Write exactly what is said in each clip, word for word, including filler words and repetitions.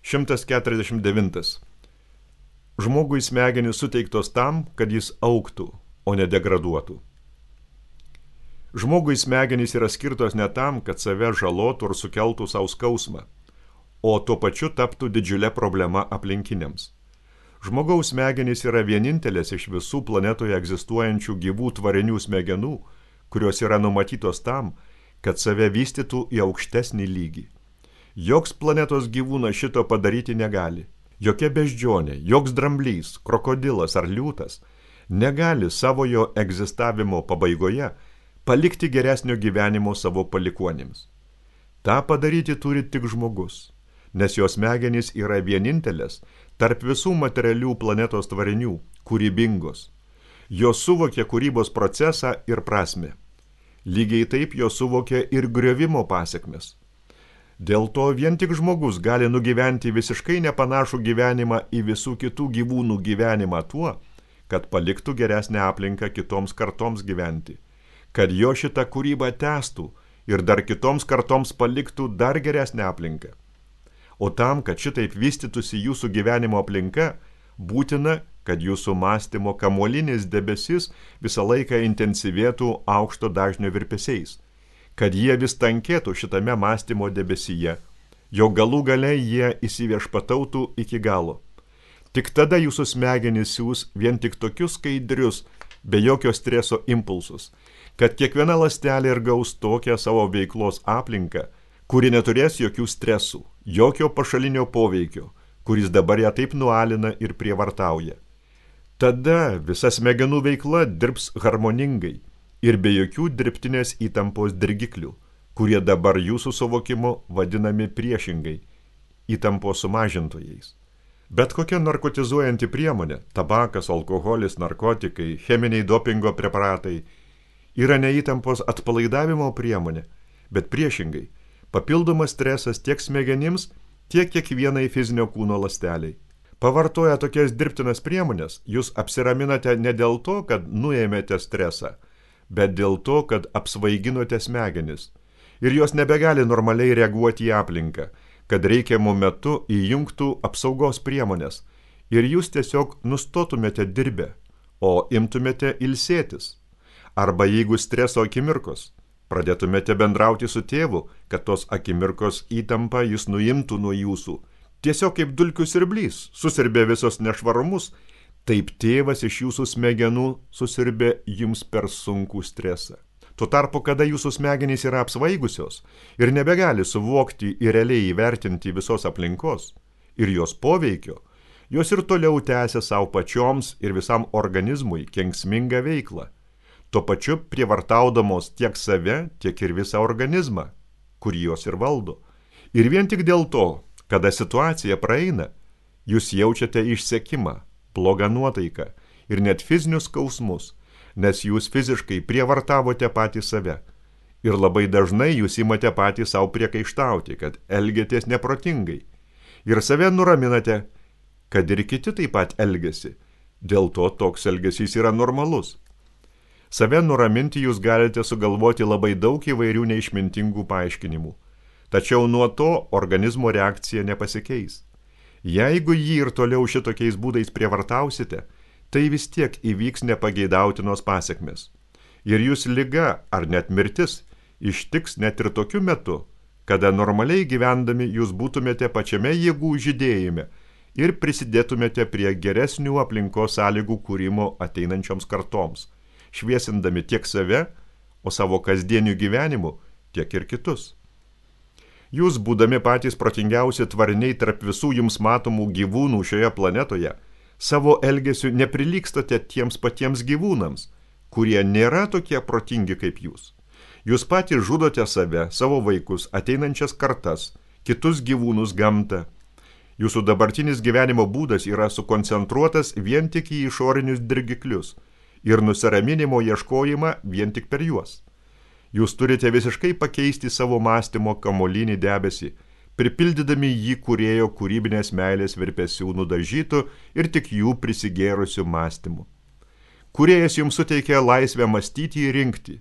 šimtas keturiasdešimt devintas. Žmogui smegenys suteiktos tam, kad jis augtų, o ne degraduotų. Žmogui smegenys yra skirtos ne tam, kad save žalotų ir sukeltų savo skausmą, o tuo pačiu taptų didžiulė problema aplinkiniams. Žmogaus smegenys yra vienintelės iš visų planetoje egzistuojančių gyvų tvarinių smegenų, kurios yra numatytos tam, kad save vystytų į aukštesnį lygį. Joks planetos gyvūnas šito padaryti negali. Jokia beždžionė, joks dramblys, krokodilas ar liūtas negali savojo egzistavimo pabaigoje palikti geresnio gyvenimo savo palikuonims. Ta padaryti turi tik žmogus, nes jos smegenys yra vienintelės tarp visų materialių planetos tvarinių, kūrybingos. Jos suvokia kūrybos procesą ir prasmę. Lygiai taip jos suvokia ir griovimo pasekmes. Dėl to vien tik žmogus gali nugyventi visiškai nepanašų gyvenimą į visų kitų gyvūnų gyvenimą tuo, kad paliktų geresnę aplinką kitoms kartoms gyventi, kad jo šitą kūrybą tęstų ir dar kitoms kartoms paliktų dar geresnę aplinką. O tam, kad šitaip vystytųsi jūsų gyvenimo aplinka, būtina, kad jūsų mąstymo kamuolinis debesis visą laiką intensyvėtų aukšto dažnio virpesiais, kad jie vis tankėtų šitame mąstymo debesyje, jo galų gale jie įsiviešpatautų iki galo. Tik tada jūsų smegenys siūs vien tik tokius skaidrius, be jokio streso impulsus, kad kiekviena ląstelė ir gaus tokią savo veiklos aplinką, kuri neturės jokių stresų, jokio pašalinio poveikio, kuris dabar ją taip nualina ir prievartauja. Tada visa smegenų veikla dirbs harmoningai ir be jokių dirbtinės įtampos dirgiklių, kurie dabar jūsų suvokimu vadinami priešingai įtampos sumažintojais. Bet kokia narkotizuojanti priemonė, tabakas, alkoholis, narkotikai, cheminiai dopingo preparatai, yra ne įtampos atpalaidavimo priemonė, bet priešingai, papildomas stresas tiek smegenims, tiek kiekvienai fizinio kūno ląsteliai. Pavartoję tokias dirbtinas priemonės, jūs apsiraminate ne dėl to, kad nuėmėte stresą, bet dėl to, kad apsvaiginote smegenis ir jos nebegali normaliai reaguoti į aplinką, kad reikiamų metu įjungtų apsaugos priemonės ir jūs tiesiog nustotumėte dirbę, o imtumėte ilsėtis. Arba jeigu streso akimirkos, pradėtumėte bendrauti su tėvu, kad tos akimirkos įtampa jis nuimtų nuo jūsų. Tiesiog kaip dulkių siurblys susirbė visos nešvarumus, taip tėvas iš jūsų smegenų susirbė jums per sunkų stresą. Tuo tarpu, kada jūsų smegenys yra apsvaigusios ir nebegali suvokti ir realiai įvertinti visos aplinkos ir jos poveikio, jos ir toliau tęsia savo pačioms ir visam organizmui kenksmingą veiklą, tuo pačiu prievartaudamos tiek save, tiek ir visą organizmą, kurį jos ir valdo. Ir vien tik dėl to, kada situacija praeina, jūs jaučiate išsekimą, blogą nuotaiką ir net fizinius skausmus, nes jūs fiziškai prievartavote patį save. Ir labai dažnai jūs imate patį savo priekaištauti, kad elgiatės neprotingai. Ir save nuraminate, kad ir kiti taip pat elgiasi. Dėl to toks elgesys yra normalus. Save nuraminti jūs galite sugalvoti labai daug įvairių neišmintingų paaiškinimų. Tačiau nuo to organizmo reakcija nepasikeis. Jeigu jį ir toliau šitokiais būdais prievartausite, tai vis tiek įvyks nepageidautinos pasekmės. Ir jūs liga ar net mirtis ištiks net ir tokiu metu, kada normaliai gyvendami jūs būtumėte pačiame jėgų žydėjime ir prisidėtumėte prie geresnių aplinkos sąlygų kūrimo ateinančioms kartoms, šviesindami tiek save, o savo kasdieniu gyvenimu tiek ir kitus. Jūs, būdami patys protingiausi tvariniai tarp visų jums matomų gyvūnų šioje planetoje, savo elgesiu neprilygstate tiems patiems gyvūnams, kurie nėra tokie protingi kaip jūs. Jūs patys žudote save, savo vaikus, ateinančias kartas, kitus gyvūnus, gamtą. Jūsų dabartinis gyvenimo būdas yra sukoncentruotas vien tik į išorinius dirgiklius ir nusiraminimo ieškojimą vien tik per juos. Jūs turite visiškai pakeisti savo mąstymo kamuolinį debesį, pripildydami jį kūrėjo kūrybinės meilės virpesių nudažytų ir tik jų prisigėrusių mąstymų. Kūrėjas jums suteikė laisvę mąstyti ir rinkti,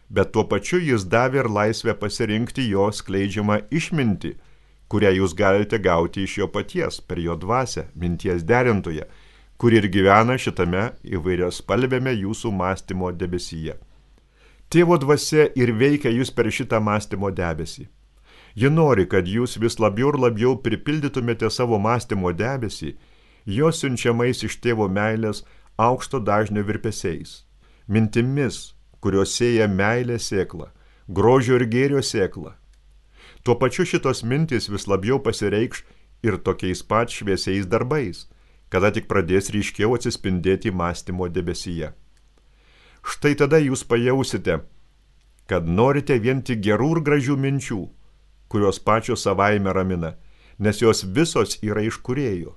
bet tuo pačiu jis davė ir laisvę pasirinkti jo skleidžiamą išmintį, kurią jūs galite gauti iš jo paties, per jo dvasią, minties derintoje, kur ir gyvena šitame įvairios spalvėme jūsų mąstymo debesyje. Tėvo dvasia ir veikia jūs per šitą mąstymo debesį. Ji nori, kad jūs vis labiau ir labiau pripildytumėte savo mąstymo debesį, jo siunčiamais iš tėvo meilės aukšto dažnio virpesiais, mintimis, kurios sėja meilė sėklą, grožio ir gėrio sėklą. Tuo pačiu šitos mintys vis labiau pasireikš ir tokiais pat šviesiais darbais, kada tik pradės ryškiau atsispindėti mąstymo debesyje. Štai tada jūs pajausite, kad norite vien tik gerų ir gražių minčių, kurios pačios savaime ramina, nes jos visos yra iš Kūrėjo.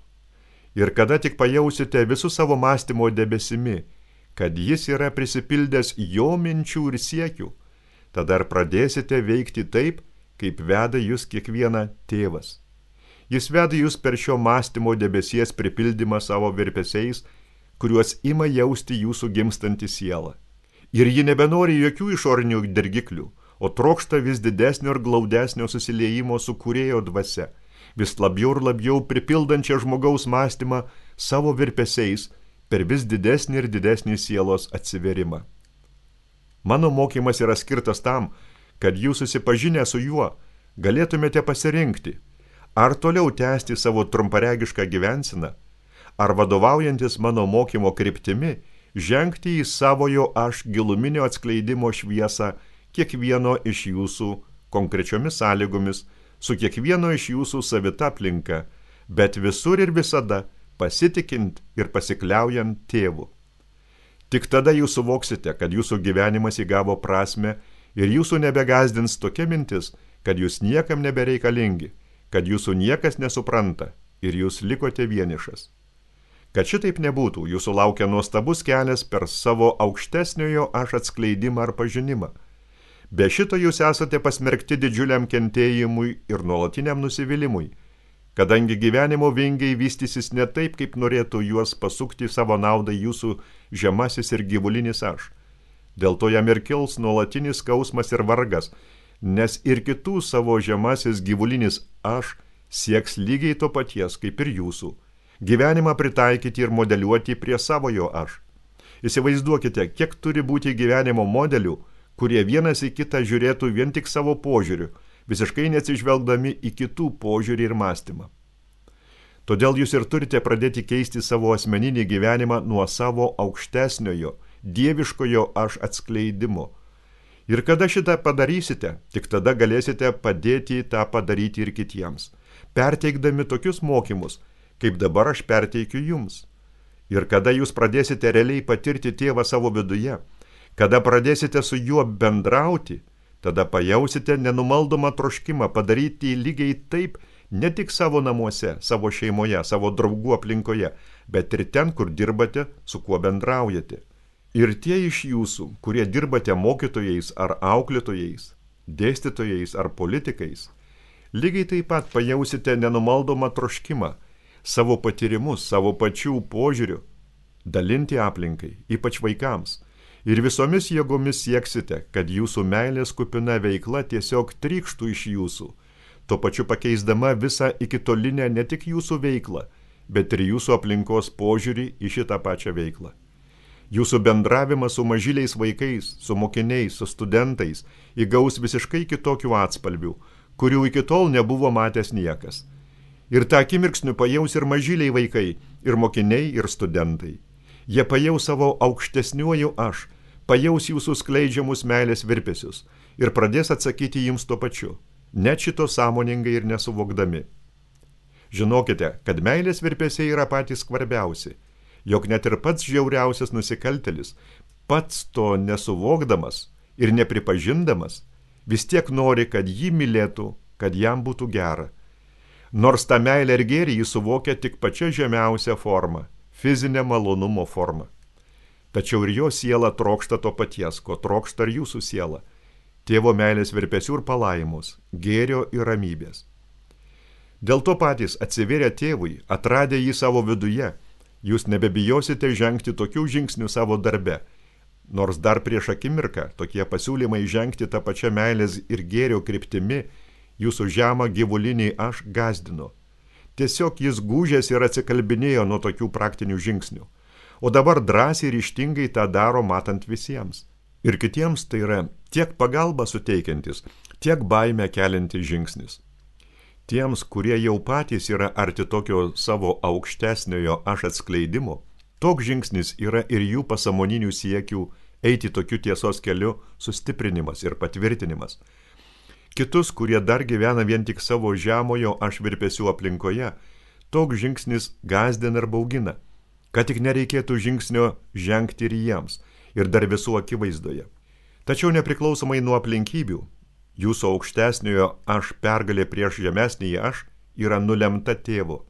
Ir kada tik pajausite visų savo mąstymo debesimi, kad jis yra prisipildęs jo minčių ir siekių, tada ir pradėsite veikti taip, kaip veda jūs kiekvieną tėvas. Jis veda jūs per šio mąstymo debesies pripildymą savo virpesiais, kuriuos ima jausti jūsų gimstanti siela. Ir ji nebenori jokių išorinių dirgiklių, o trokšta vis didesnio ir glaudesnio susiliejimo su Kūrėjo dvasia, vis labiau ir labiau pripildančia žmogaus mąstymą savo virpesiais per vis didesnį ir didesnį sielos atsiverimą. Mano mokymas yra skirtas tam, kad jūs susipažinę su juo galėtumėte pasirinkti, ar toliau tęsti savo trumparegišką gyvenseną, ar vadovaujantis mano mokymo kryptimi, žengti į savojo aš giluminio atskleidimo šviesą kiekvieno iš jūsų konkrečiomis sąlygomis, su kiekvieno iš jūsų savita aplinka, bet visur ir visada pasitikint ir pasikliaujant tėvu. Tik tada jūs suvoksite, kad jūsų gyvenimas įgavo prasmę ir jūsų nebegazdins tokia mintis, kad jūs niekam nebereikalingi, kad jūsų niekas nesupranta ir jūs likote vienišas. Kad šitaip nebūtų, jūsų laukia nuostabus kelias per savo aukštesniojo aš atskleidimą ar pažinimą. Be šito jūs esate pasmerkti didžiuliam kentėjimui ir nuolatiniam nusivylimui, kadangi gyvenimo vingiai vystysis ne taip, kaip norėtų juos pasukti savo naudai jūsų žemasis ir gyvulinis aš. Dėl to jam ir kils nuolatinis skausmas ir vargas, nes ir kitų savo žemasis gyvulinis aš sieks lygiai to paties, kaip ir jūsų. Gyvenimą pritaikyti ir modeliuoti prie savojo aš. Įsivaizduokite, kiek turi būti gyvenimo modelių, kurie vienas į kitą žiūrėtų vien tik savo požiūriu, visiškai neatsižvelgdami į kitų požiūrį ir mąstymą. Todėl jūs ir turite pradėti keisti savo asmeninį gyvenimą nuo savo aukštesniojo, dieviškojo aš atskleidimo. Ir kada šitą padarysite, tik tada galėsite padėti tą padaryti ir kitiems, perteikdami tokius mokymus, kaip dabar aš perteikiu jums. Ir kada jūs pradėsite realiai patirti tėvą savo viduje, kada pradėsite su juo bendrauti, tada pajausite nenumaldomą troškimą padaryti lygiai taip ne tik savo namuose, savo šeimoje, savo draugų aplinkoje, bet ir ten, kur dirbate, su kuo bendraujate. Ir tie iš jūsų, kurie dirbate mokytojais ar auklėtojais, dėstytojais ar politikais, lygiai taip pat pajausite nenumaldomą troškimą savo patyrimus, savo pačių požiūrių dalinti aplinkai, ypač vaikams. Ir visomis jėgomis sieksite, kad jūsų meilės kupina veikla tiesiog trykštų iš jūsų, tuo pačiu pakeisdama visą ikitolinę ne tik jūsų veiklą, bet ir jūsų aplinkos požiūrį į šitą pačią veiklą. Jūsų bendravimas su mažyliais vaikais, su mokiniais, su studentais įgaus visiškai kitokių atspalvių, kurių iki tol nebuvo matęs niekas. Ir tą akimirksniu pajaus ir mažyliai vaikai, ir mokiniai, ir studentai. Jie pajaus savo aukštesniuoju aš, pajaus jūsų skleidžiamus meilės virpesius ir pradės atsakyti jums tuo pačiu, net šito sąmoningai ir nesuvokdami. Žinokite, kad meilės virpesiai yra patys skvarbiausi, jog net ir pats žiauriausias nusikaltelis, pats to nesuvokdamas ir nepripažindamas, vis tiek nori, kad jį mylėtų, kad jam būtų gera. Nors tą meilę ir gėrį jis suvokia tik pačia žemiausia forma, fizinė malonumo forma. Tačiau ir jo siela trokšta to paties, ko trokšta ir jūsų siela. Tėvo meilės virpesių ir palaimos, gėrio ir ramybės. Dėl to patys atsivėrę tėvui, atradę jį savo viduje, jūs nebebijosite žengti tokių žingsnių savo darbe, nors dar prieš akimirką tokie pasiūlymai žengti tą pačią meilės ir gėrio kryptimi jūsų žemą gyvulinį aš gazdino. Tiesiog jis gūžėsi ir atsikalbinėjo nuo tokių praktinių žingsnių. O dabar drąsiai ir ryžtingai tą daro matant visiems. Ir kitiems tai yra tiek pagalba suteikiantis, tiek baimę keliantis žingsnis. Tiems, kurie jau patys yra arti tokio savo aukštesniojo aš atskleidimo, toks žingsnis yra ir jų pasąmoninių siekių eiti tokiu tiesos keliu sustiprinimas ir patvirtinimas. Kitus, kurie dar gyvena vien tik savo žemojo aš virpesių aplinkoje, toks žingsnis gazdina ir baugina, kad tik nereikėtų žingsnio žengti ir jiems, ir dar visų akivaizdoje. Tačiau nepriklausomai nuo aplinkybių, jūsų aukštesniojo aš pergalė prieš žemesnįjį aš yra nulemta tėvo.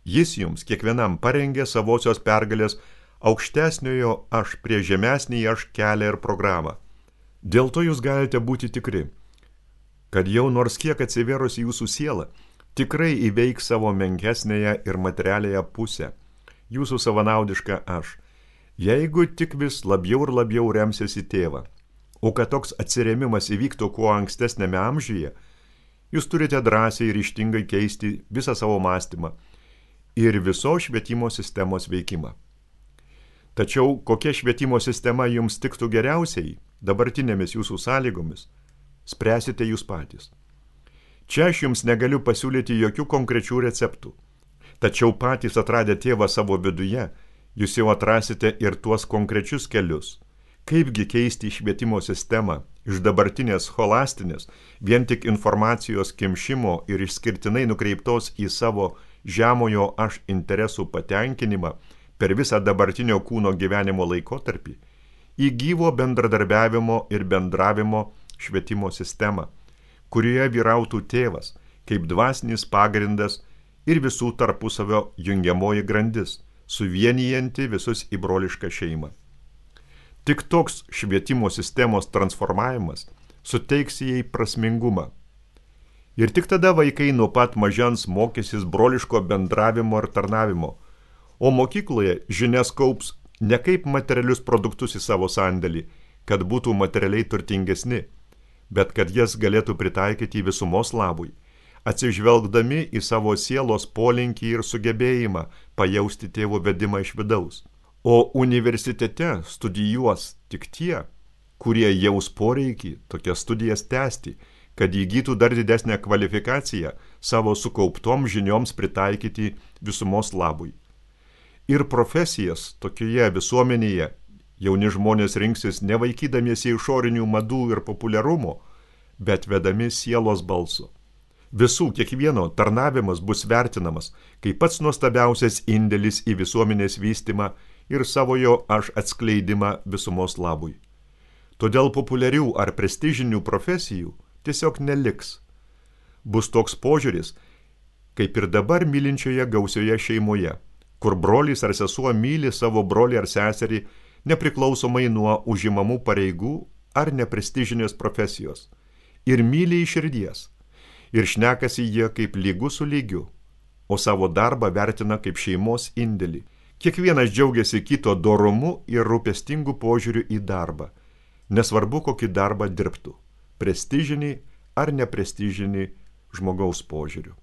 Jis jums kiekvienam parengė savosios pergalės aukštesniojo aš prieš žemesnįjį aš kelią ir programą. Dėl to jūs galite būti tikri, kad jau nors kiek atsivėrusi jūsų siela, tikrai įveiks savo menkesnėje ir materialėje pusę, jūsų savanaudišką aš, jeigu tik vis labiau ir labiau remsis į tėvą. O kad toks atsiremimas įvyktų kuo ankstesnėme amžiuje, jūs turite drąsiai ir ryžtingai keisti visą savo mąstymą ir visos švietimo sistemos veikimą. Tačiau kokia švietimo sistema jums tiktų geriausiai dabartinėmis jūsų sąlygomis, spręsite jūs patys. Čia aš jums negaliu pasiūlyti jokių konkrečių receptų, tačiau patys atradę tėvą savo viduje, jūs jau atrasite ir tuos konkrečius kelius. Kaipgi keisti švietimo sistemą iš dabartinės scholastinės, vien tik informacijos kimšimo ir išskirtinai nukreiptos į savo žemojo aš interesų patenkinimą per visą dabartinio kūno gyvenimo laikotarpį, į gyvo bendradarbiavimo ir bendravimo švietimo sistemą, kurioje vyrautų tėvas kaip dvasinis pagrindas ir visų tarpusavio jungiamoji grandis, suvienijanti visus į brolišką šeimą. Tik toks švietimo sistemos transformavimas suteiks jai prasmingumą. Ir tik tada vaikai nuo pat mažens mokysis broliško bendravimo ir tarnavimo, o mokykloje žinias kaups ne kaip materialius produktus į savo sandėlį, kad būtų materialiai turtingesni, bet kad jas galėtų pritaikyti visumos labui, atsižvelgdami į savo sielos polinkį ir sugebėjimą pajausti tėvo vedimą iš vidaus. O universitete studijuos tik tie, kurie jaus poreikį tokias studijas tęsti, kad įgytų dar didesnę kvalifikaciją savo sukauptom žinioms pritaikyti visumos labui. Ir profesijas tokioje visuomenėje jauni žmonės rinksis nevaikydamiesi išorinių madų ir populiarumo, bet vedami sielos balso. Visų kiekvieno tarnavimas bus vertinamas kaip pats nuostabiausias indėlis į visuomenės vystymą ir savojo aš atskleidimą visumos labui. Todėl populiarių ar prestižinių profesijų tiesiog neliks. Bus toks požiūris, kaip ir dabar mylinčioje gausioje šeimoje, kur brolis ar sesuo myli savo brolį ar seserį nepriklausomai nuo užimamų pareigų ar neprestižinės profesijos, ir myli iš širdies, ir šnekasi jie kaip lygus su lygiu, o savo darbą vertina kaip šeimos indėlį. Kiekvienas džiaugiasi kito dorumu ir rūpestingu požiūriu į darbą, nesvarbu kokį darbą dirbtų, prestižinį ar neprestižinį žmogaus požiūriu.